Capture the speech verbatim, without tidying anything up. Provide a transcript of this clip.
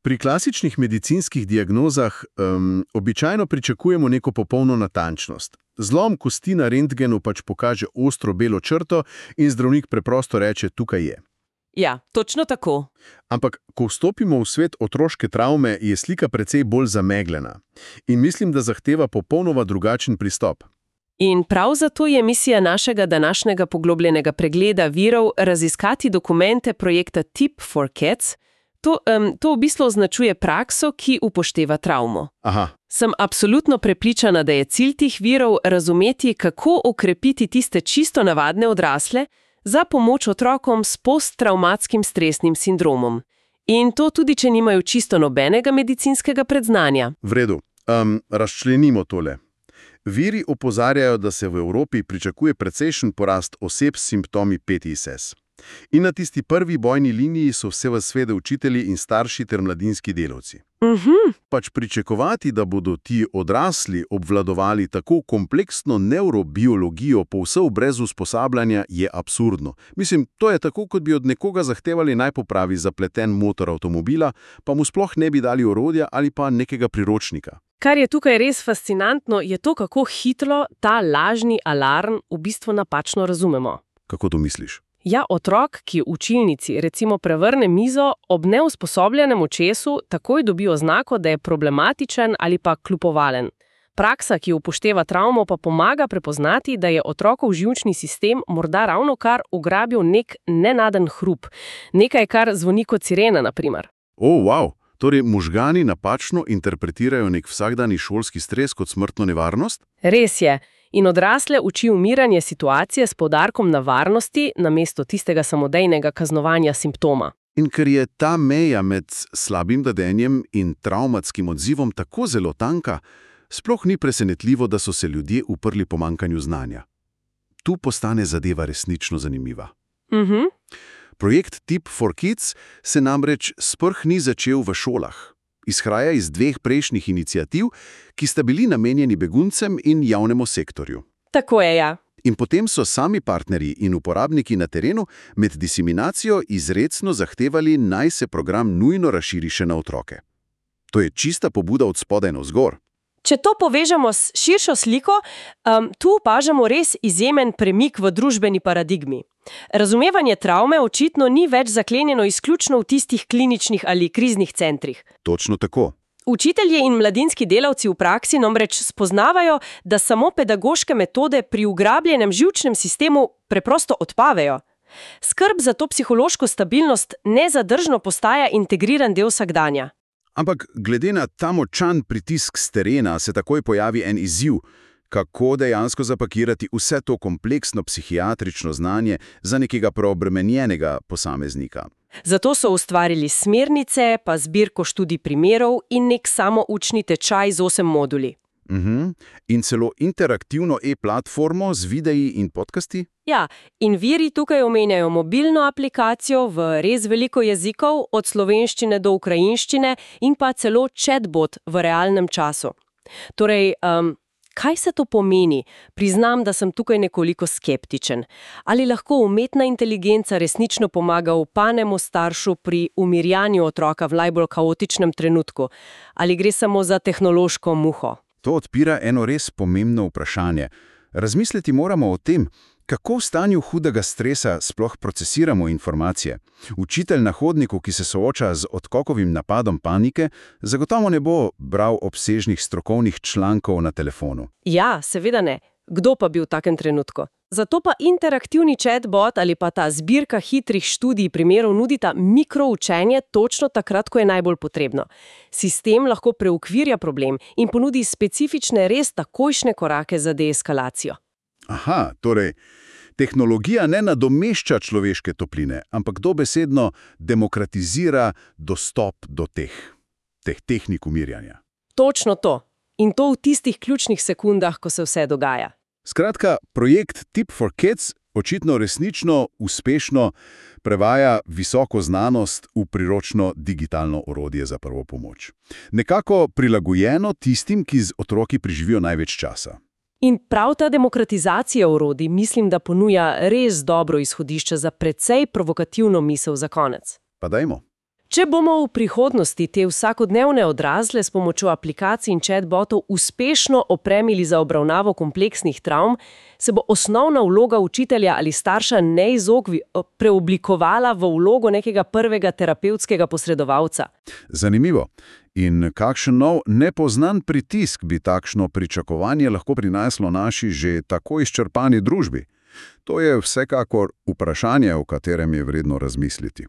Pri klasičnih medicinskih diagnozah um, običajno pričakujemo neko popolno natančnost. Zlom kosti na rentgenu pač pokaže ostro belo črto in zdravnik preprosto reče, tukaj je. Ja, točno tako. Ampak, ko vstopimo v svet otroške travme, je slika precej bolj zamegljena. In mislim, da zahteva popolnoma drugačen pristop. In prav zato je misija našega današnjega poglobljenega pregleda virov raziskati dokumente projekta Tip for Cats. To, um, to v bistvu označuje prakso, ki upošteva travmo. Aha. Sem absolutno prepričana, da je cilj tih virov razumeti, kako okrepiti tiste čisto navadne odrasle za pomoč otrokom s posttravmatskim stresnim sindromom. In to tudi, če nimajo čisto nobenega medicinskega predznanja. V redu. Um, razčlenimo tole. Viri opozarjajo, da se v Evropi pričakuje precejšen porast oseb s simptomi P T S S. In na tisti prvi bojni liniji so vse v svede učitelji in starši ter mladinski delavci. Mhm. Pač pričakovati, da bodo ti odrasli obvladovali tako kompleksno nevrobiologijo povsem brez usposabljanja, je absurdno. Mislim, to je tako, kot bi od nekoga zahtevali naj popravi zapleten motor avtomobila, pa mu sploh ne bi dali orodja ali pa nekega priročnika. Kar je tukaj res fascinantno, je to, kako hitro ta lažni alarm v bistvu napačno razumemo. Kako to misliš? Ja, otrok, ki v učilnici recimo prevrne mizo, ob neusposobljenem očesu takoj dobi oznako, da je problematičen ali pa kljubovalen. Praksa, ki upošteva travmo, pa pomaga prepoznati, da je otrokov živčni sistem morda ravno kar ugrabil nek nenaden hrup. Nekaj, kar zvoni kot sirena, na primer. O, wow! Torej, možgani napačno interpretirajo nek vsakdanji šolski stres kot smrtno nevarnost? Res je. In odrasle uči umiranje situacije s poudarkom na varnosti namesto tistega samodejnega kaznovanja simptoma. In ker je ta meja med slabim vedenjem in travmatskim odzivom tako zelo tanka, sploh ni presenetljivo, da so se ljudje uprli pomanjkanju znanja. Tu postane zadeva resnično zanimiva. Mhm. Projekt Tip for Kids se namreč sprh ni začel v šolah. Izhaja iz dveh prejšnjih iniciativ, ki sta bili namenjeni beguncem in javnemu sektorju. Tako je, ja. In potem so sami partnerji in uporabniki na terenu med diseminacijo izrecno zahtevali, naj se program nujno razširi še na otroke. To je čista pobuda od spodaj navzgor. Če to povežemo s širšo sliko, um, tu opažamo res izjemen premik v družbeni paradigmi. Razumevanje travme očitno ni več zaklenjeno izključno v tistih kliničnih ali kriznih centrih. Točno tako. Učitelji in mladinski delavci v praksi namreč spoznavajo, da samo pedagoške metode pri ugrabljenem živčnem sistemu preprosto odpavejo. Skrb za to psihološko stabilnost nezadržno postaja integriran del vsakdanja. Ampak glede na ta močan pritisk s terena se takoj pojavi en izziv, kako dejansko zapakirati vse to kompleksno psihiatrično znanje za nekega preobremenjenega posameznika. Zato so ustvarili smernice, pa zbirko študij primerov in nek samoučni tečaj z osem moduli. Mhm. In celo interaktivno e-platformo z videi in podcasti? Ja, in viri tukaj omenjajo mobilno aplikacijo v res veliko jezikov, od slovenščine do ukrajinščine in pa celo chatbot v realnem času. Torej, um, kaj se to pomeni? Priznam, da sem tukaj nekoliko skeptičen. Ali lahko umetna inteligenca resnično pomaga upanemu staršu pri umirjanju otroka v najbolj kaotičnem trenutku? Ali gre samo za tehnološko muho? To odpira eno res pomembno vprašanje. Razmisliti moramo o tem, kako v stanju hudega stresa sploh procesiramo informacije. Učitelj na hodniku, ki se sooča z odkokovim napadom panike, zagotovo ne bo bral obsežnih strokovnih člankov na telefonu. Ja, seveda ne. Kdo pa bi v takem trenutku? Zato pa interaktivni chatbot ali pa ta zbirka hitrih študij primerov nudita mikroučenje točno takrat, ko je najbolj potrebno. Sistem lahko preukvirja problem in ponudi specifične, res takojšnje korake za deeskalacijo. Aha, torej, tehnologija ne nadomešča človeške topline, ampak dobesedno demokratizira dostop do teh, teh tehnik umirjanja. Točno to. In to v tistih ključnih sekundah, ko se vse dogaja. Skratka, projekt Tip for Kids očitno resnično uspešno prevaja visoko znanost v priročno digitalno orodje za prvo pomoč. Nekako prilagojeno tistim, ki z otroki preživijo največ časa. In prav ta demokratizacija orodij mislim, da ponuja res dobro izhodišče za precej provokativno misel za konec. Pa dajmo. Če bomo v prihodnosti te vsakodnevne odrasle s pomočjo aplikacij in chatbotov uspešno opremili za obravnavo kompleksnih travm, se bo osnovna vloga učitelja ali starša neizogbi preoblikovala v vlogo nekega prvega terapevtskega posredovalca. Zanimivo. In kakšen nov nepoznan pritisk bi takšno pričakovanje lahko prineslo naši že tako izčrpani družbi? To je vsekakor vprašanje, o katerem je vredno razmisliti.